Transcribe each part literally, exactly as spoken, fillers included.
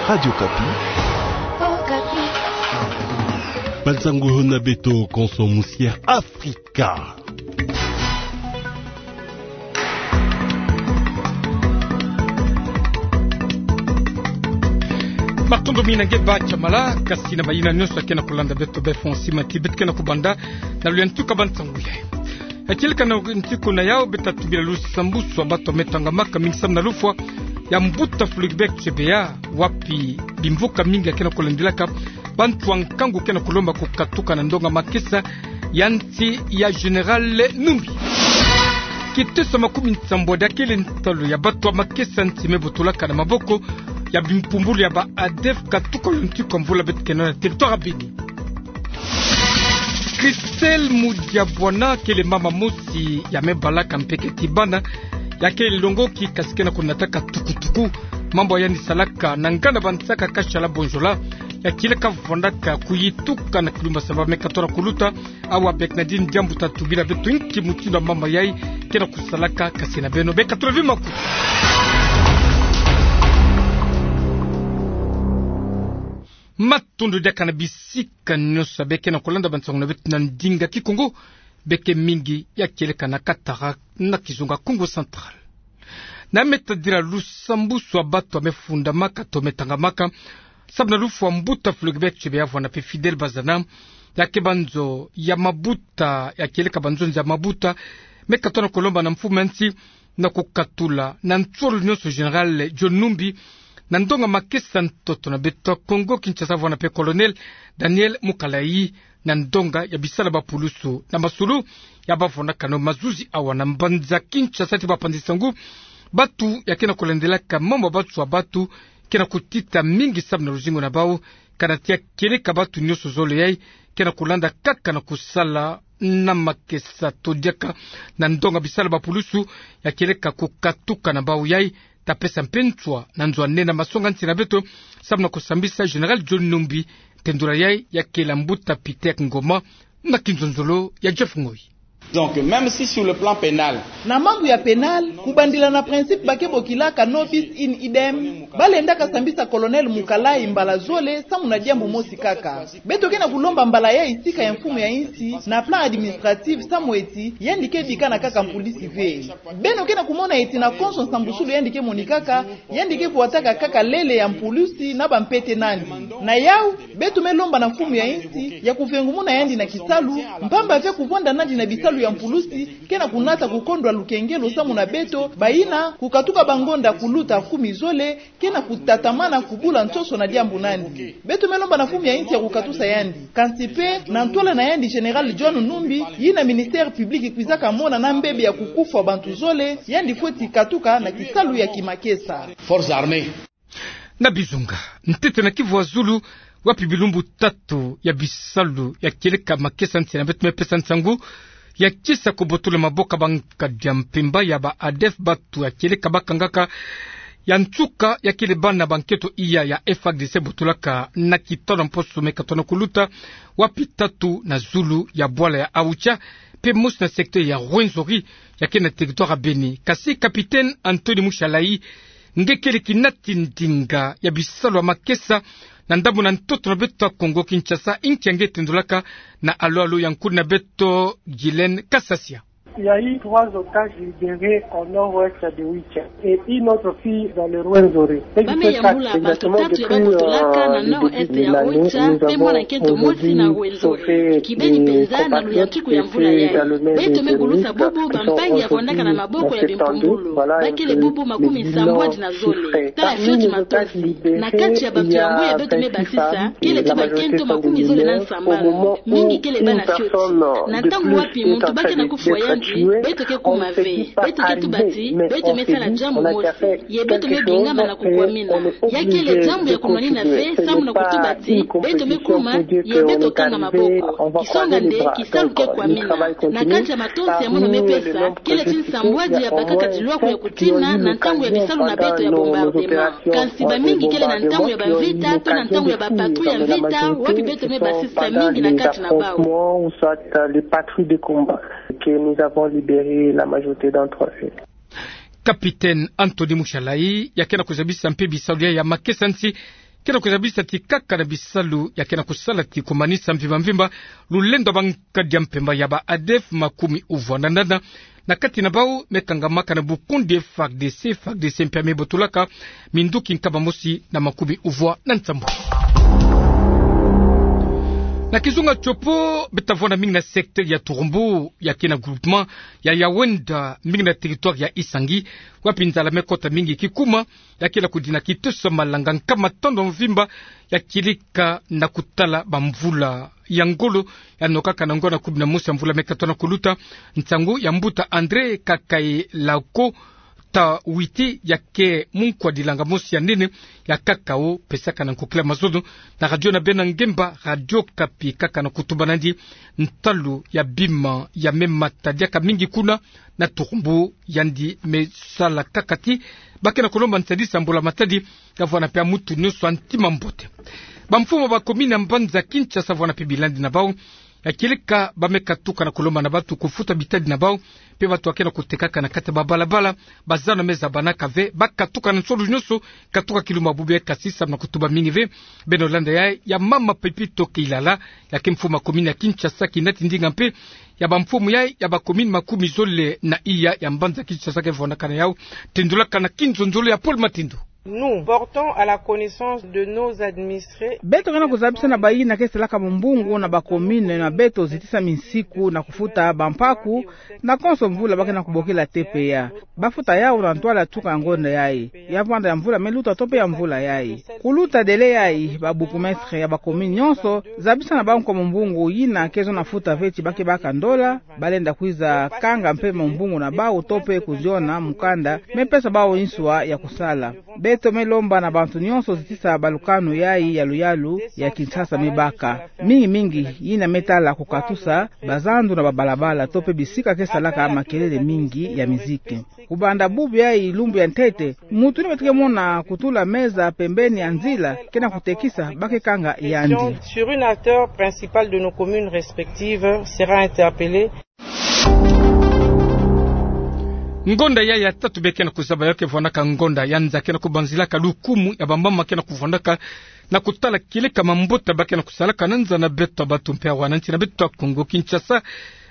Radio Okapi. Okapi. Bala nsangu na beto konso musi Afrika. Matondo mingi na nge Bacha Mala, kasi na bayina nyonso ya ke na kulanda beto befo na sima ti beto ke na kubanda na luyantika ba nsangu ya. Ya kieleka na ntiku na yau, beta tubila lusambuswani ya bato me tangamaka mingi samu na lufwa ya mbuta Floribert Chebeya, wapi bimvuka mingi ya ke na kulandilaka bantu ya nkangu ke na kulomba kukatuka na ndonga makesa ya nsi ya Général Numbi. Kiteso ya makumia nsambwadi ya kele ntalu ya bato ya makesa nsi me botolaka na maboko ya bimpumbulu ya ba ADF katuka yo ntiku ya mvula beto ke na yo na territoire ya Beni. Christelle Mudiabwana kele mama mosi ya me balaka mpe keti bana, ya kele longoki kasi ke na kunataka tukutuku. Mambu ya yandi salaka na nganda bansaka Kashala Bonjola, ya kieleka vandaka kuyituka na kilumbu saba me katoto na kuluta. Awa Bernadine Diambu ta tubila beto inki mutindu ya mama yai ke na kusalaka, kasi na beno beka tula vi makutu. Matondo diaka na bisika nyonso ya be ke na kulanda ba nsangu na beto na ndinga Kikongo, beke mingi ya kieleka na katara na kizunga Kongo Central. Na me tadila lusambuswani ya bato ya me fundamaka to me tangamaka samu na lufwa ya mbuta Floribert Chebeya, vwanda mpe Fidèle Bazana, ya ke banzo ya mabuta, ya kieleka banzo nza mabuta, me katoto na kulomba na mfumu ya nsi na kukatula na nsolo nyonso Général John Numbi na ndonga makesa ntoto na beto Kongo Kinshasa, vwanda mpe Colonel Daniel Mukalayi na ndonga ya bisalu ya bapulusu. Na masolo ya bavonakano mazuzi awa na mbanza Kinshasa ti bapanzi nsangu, bato ya ke na kulandilaka mambu ya banswa ya bato ke na kutita mingi samu na luzingu na bau, kana ti ya kieleka bato nyonso zole yai ke na kulanda kaka na kusala na makesa to diaka na ndonga bisalu ya bapulusu, ya kieleka kukatuka na bau yai ta pesa mpe nswa na nzo ya nene ya masonga nsi na beto samu na kusambisa Général John Numbi. Tendula yai ya kele ya mbuta Peter Ngoma na kinzonzolo ya Jeff Ngoyi. Donc, même si sur le plan pénal, na mambu ya pénal, kubandila na principe ba ke bokilaka nobis in idem, balendaka sambisa Colonel Mukalayi mbala zole samu na diambu mosi kaka. Beto ke na kulomba mbala yai sika ya mfumu ya nsi na plan administratif samu eti yandi ke bikana kaka mpulisi ve. Beno ke na kumona eti na konso nsambusulu yandi ke monikaka, yandi ke vwataka kaka lele ya mpulisi na bampete na yandi. Na yau, beto me lomba na mfumu ya nsi ya kuvengumuna yandi na kisalu, mpamba ve kuvwanda na yandi na bisalu ya mpulisi ke na kunata kukondwa lukengelo samu na beto bayina kukatuka bangonda kuluta kumi zole ke na kutatamana kubula nsoso na diambu na yandi. Beto me lomba na mfumu ya nsi ya kukatusa yandi. Kansi mpe, na ntwala na yandi Général John Numbi, yina ministère public kwizaka mona na mbebe ya kukufwa bantu zole, yandi fweti katuka na kisalu ya kimakesa. Forces armées. Na Bizunga, ntete na Kivu ya Zulu, wapi bilumbu tatu ya bisalu ya kieleka makesa nsi na beto me pesa nsangu, ya kisa kubotola maboko ya bankadi ya mpemba ya ba ADF bato ya kieleka bakangaka ya nsuka ya kele bana ba nketo iya ya F A R D C botolaka na kitono mposo me katoto na kuluta, wapi tatu na zulu ya bwala ya Aoutcha, mpe mosi na secteur ya Rwenzori, ya ke na territoire ya Beni. Kasi Capitaine Anthony Mushalayi, nge kele kinati ndinga ya bisalu ya makesa na ndambu na ntoto na beto ya Kongo Kinshasa, inki ya nge tendolaka na alo-alo ya nkulu na beto Guylaine Kasasia. Il y a eu trois otages libérés au nord-ouest de Oicha et une autre fille dans le Rwenzori. Ba me yambula bato tatu ya babotolaka na nord-est ya Oicha, mpe mwana nkento mosi na Rwenzori. Kibeni mpenza na luyantiku ya mvula yai. Beto me kulusa bubu bampangi ya vandaka na maboko ya bimpumbulu. Ba kele bubu makumi nsambwadi na zole. Tala fioti matosi. Na kati ya bato yango ya beto me basisa, kele ti bankento makumi zole na nsambanu. Mingi kele bana fioti. Na ntango wapi muntu ba ke na kufwa yandi, beto ke kuma ve. Beto ke tuba ti beto me sala diambu mosi. Ye beto me bingama na kukwamina. Ya kele diambu ya kumanina ve, samu na kutuba ti beto me kuma, ye beto kanga maboko. Kisonga nde, kisalu ke kwamina. Na kati ya matosi ya mono me pesa, kele ti nsambwadi ya bakaka tilwaku ya kutina na ntango ya bisalu na beto ya bombardement. Kansi bamingi kele na ntango ya bamvita to na ntango ya bapatrouille ya mvita, wapi beto me basisa mingi na kati na bau. Ou soit, euh, les patrouilles de combat que nous avons libéré la majorité d'entre eux. Capitaine Anthony Mushalayi, ya ke na kuzabisa mpe bisalu ya, ya makesa nsi Kena kuzabisa ti kaka na bisalu ya kena kusala ti kumanisa mvimba mvimba lulendo ya bankadi ya mpemba ya ba ADF makumi uvwa na nana, na kati na bau me kangamaka na bukundi FARDC, FARDC mpe ya me botolaka minduki nkama mosi na makumi uvwa na nsambulu. Na kizunga tiopo, beta vwanda mingi na secteur ya Turumbu, ya kena groupement ya Yawenda, mingi na territoire ya Isangi, wapi nzala me kota mingi kikuma, ya kena kudina kitosa malanga nkama tondo mvimba, ya kilika na kutala bamvula ya ngolo, ya nokaka na ngonda kumi na mosi ya mvula me katoka na kuluta. Nsangu ya mbuta André Kakaelako Tawiti, ya ke munkwa dilanga mosi ya nene ya cacao, pesaka na nkokila mazono na radio na bena ngemba Radio Okapi, kaka na kutuba nandi ntalu ya bima ya me mata diaka mingi kuna na Turumbu. Yandi me sala kaka ti ba kena kulomba nsadisa mbula matadi, ya vwanda mpe ya mutu nionso ya ntima mbote. Bamfumu ya ba commune ya mbanza Kinshasa vwanda mpe bilandi na bau, ya kilika ba me katuka na kulomba na batu kufuta bitadi na bau, mpe batu ya kena kutekaka na kati ya babalabala, bazana me zabanaka ve, ba katuka na nsolo nionso, katuka kilumbu bubu yayi, kasi samu na kutuba mingi ve. Beno landa yayi ya mama Pepito Keilala, ya ke mfumu ya commune ya Kinshasa, kinati ndinga mpe ya bamfumu yayi ya ba commune makumi zole na iya ya mbanza Kinshasa ke vwandaka na yau. Tendulaka na kinzonzolo ya Paul Matindu. Nous portons à la connaissance de nos administrés. Beto kena kuzabisa na bayina ke salaka mumbungu na ba commune na beto zitisa minsiku na kufuta bampaku, na konso mvula ba kena kubokila T P A. Ba futa yau na ntwala tuka ngonda yayi, ya vwanda ya mvula me luta to mpe ya mvula yayi. Kuluta délai yayi, ba bourgmestre ya ba commune nionso zabisa na bau nkwa mumbungu yina ke zo na futa ve ti ba ke baka ndola, ba lenda kwiza kanga mpe mumbungu na bau to mpe kuziona mukanda me pesa bau nswa ya kusala. Beto me lomba na bantu nionso zitisa balukanu yayi ya luyalu ya Kinshasa me baka, mingi mingi yina me tala kukatusa bazandu na babalabala to mpe bisika ke salaka makelele mingi ya miziki. Kubanda bubu yayi lumbu ya ntete, mutu yina beto ke mona kutula meza pembeni ya nzila kena kutekisa, ba ke kanga yandi. Sur une hauteur principale de nos communes respectives sera interpellé. Ngonda yayi ya tatu be kena kuzaba yo ke vwandaka ngonda ya nza kena kubanzilaka lukumu ya bamama kena kuvwandaka na kutala kileka mambuta ba kena kusalaka na nza na beto ya batu mpe ya wananchi na beto ya Kongo Kinshasa.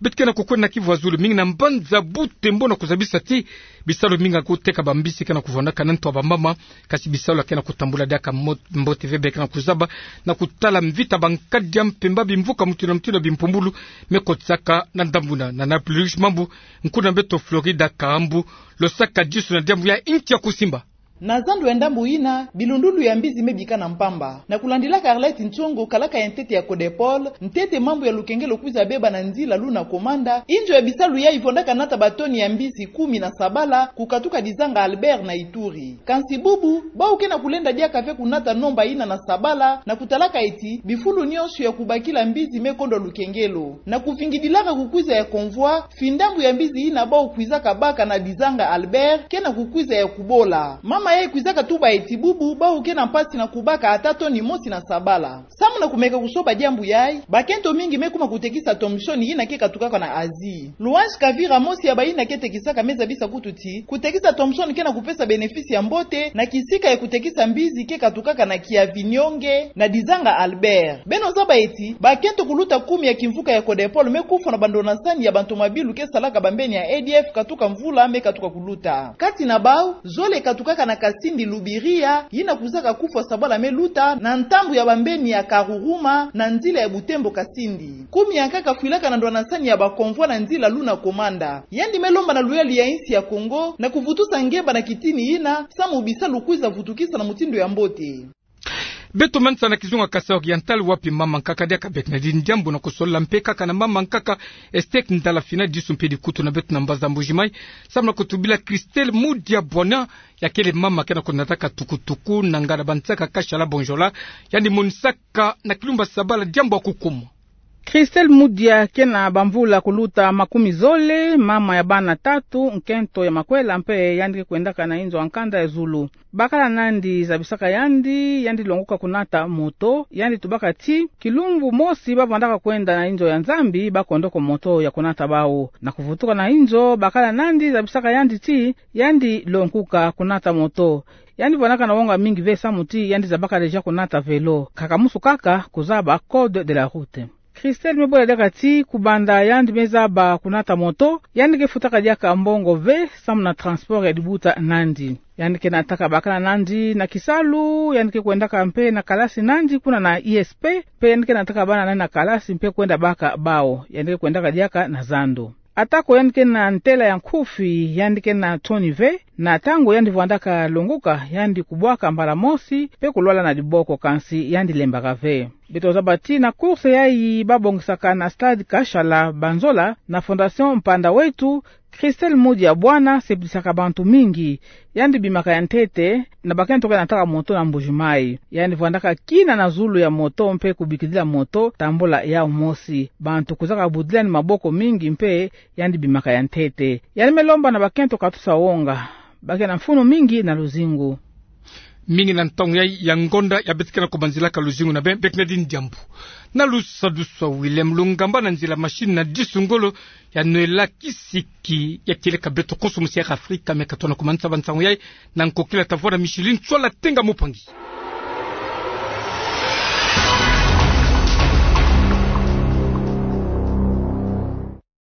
Beto kena kukwenda na kivu ya zulu mingi na mbanza Butembo na kuzabisa ti bisalu mingi ya kuteka bambisi kena kuvwandaka na ntu ya bamama, kasi bisalu ya kena kutambula diaka mo-, mbote ve. Be kena kuzaba na kutala mvita bankadi ya mpemba, bimvuka mutindu na mutindu, bimpumbulu me kotisaka na ndambu yina. Na Naples Mambu, nkuna beto Florida Kahambu, losaka disu na diambu ya inki ya kusimba. Na zandu ya ndambu yina, bilundulu ya mbizi me bikana mpamba. Na kulandilaka Arlette Ntsongo, kalaka ya ntete ya CODEPOL, ntete mambu ya lukengelo kwiza beba na nzila luna Komanda, inzo ya bisalu yayi vwandaka nata batoni ya mbizi kumi na sabala, kukatuka Dizanga Albert na Ituri. Kansi bubu, bau kena kulenda diaka ve kunata nomba yina na sabala, na kutalaka eti bifulu nionso ya kubakila mbizi me kondwa lukengelo. Na kuvingidilaka kukwiza ya convoi, findambu ya mbizi yina bau kwizaka baka na Dizanga Albert kena kukwiza ya kubola. Mama yayi kwizaka tuba eti bubu bau kena mpasi na kubaka ata toni mosi na sabala. Samu na kumeka kusoba diambu yayi, bakento mingi me kuma kutekisa Thomson yina ke katukaka na Asie. Louange Kavira, mosi ya bayina ke tekisaka, me zabisa kutu ti kutekisa Thomson kena kupesa bénéfice ya mbote na kisika ya kutekisa mbizi ke katukaka na Kiavinyonge na Dizanga Albert. Beno zaba eti bakento kuluta kumi ya kimvuka ya CODEPOL me kufwa na bandonasani ya bantomabilu ke salaka bambeni ya E D F katuka mvula me katuka kuluta. Kati na bau, zole katukaka na Kasindi Lubiria, yina kwizaka kufwa sabala me luta na ntambu ya bambeni ya Karuruma na nzila ya Butembo Kasindi. Kumi ya nkaka fwilaka na ndwanasani ya ba convoi na nzila luna Komanda. Yandi me lomba na luyalu ya insi ya Kongo na kuvutusa ngemba na kitini yina, samu bisalu kwiza vutukisa na mutindu ya mbote. Beto manisa na kizunga Kasai Oriental, wapi mama nkaka diaka Bernardine Diambu na kusolola mpe kaka na mama nkaka Esther Ndala Fina, disu mpe dikutu na beto na mbaza Mbuji-Mayi, samu na kutubila Christelle Mudia Bwana, ya kele mama kena kunataka tukutuku na ngana bansaka Kashala Bonjola, yandi monisaka na kilumbu ya sabala diambu ya kukumwa. Christelle Mudia ke na bamvula kuluta makumi zole, mama ya bana tatu, nkento ya makwela, mpe yandi ke kwendaka na inzo ya nkanda ya zulu. Bakala nandi zabisaka yandi, yandi longoka kunata moto, yandi tubaka ti, kilumbu mosi ba vandaka kwenda na inzo ya Nzambi, ba kondoko moto ya kunata bau. Na kuvutuka na inzo, bakala nandi zabisaka yandi ti, yandi longoka kunata moto. Yandi vandaka na wonga mingi ve samu ti, yandi zabaka déjà kunata vélo. Kaka musu kaka, kuzaba code de la route. Christelle me bola diaka ti, kubanda yandi me zaba kunata moto, yandi ke futaka diaka mbongo ve, samu na transport ya dibuta nandi. Yandi ke nataka bakala nandi na kisalu, yandi ke kwendaka mpe na kalasi nandi kuna na I S P, mpe yandi ke nataka bana nandi na kalasi mpe kwenda baka bau, yandi ke kwendaka diaka na zando. Atako yandi ke na ntela ya nkufi, yandi ke na toni ve, na ntangu yandi vandaka longoka, yandi kubwaka mbala mosi, mpe kulwala na diboko kansi yandi lembaka ve. Beto zaba ti na course yayi ba bongisaka na stade Kashala Banzola, na Fondation Mpanda Wetu, Christelle Mudia Bwana seplisaka bantu mingi. Yandi bimaka ya ntete, na bakento ke nataka moto na Mbuji-Mayi. Yandi vandaka kina na zulu ya moto mpe kubikidila moto, tambula yau mosi. Bantu kuzaka budila ni maboko mingi mpe, yandi bimaka ya ntete. Yandi me lomba na bakento katusa wonga. Ba ke na mfunu mingi na luzingu. Mingi na ntangu yayi ya ngonda ya beto ke na kubanzilaka luzingu na beno, beno ke na dini diambu. Na lusadusu a William Lungamba, na nzila machine na Disu Ngolo, ya nwela kisiki ya kieleka beto konso musi ya Afrika, me ka tona kumanisa ba nsangu yayi, na nkokila ta vwara Micheline Tswala Tenga Mupangi.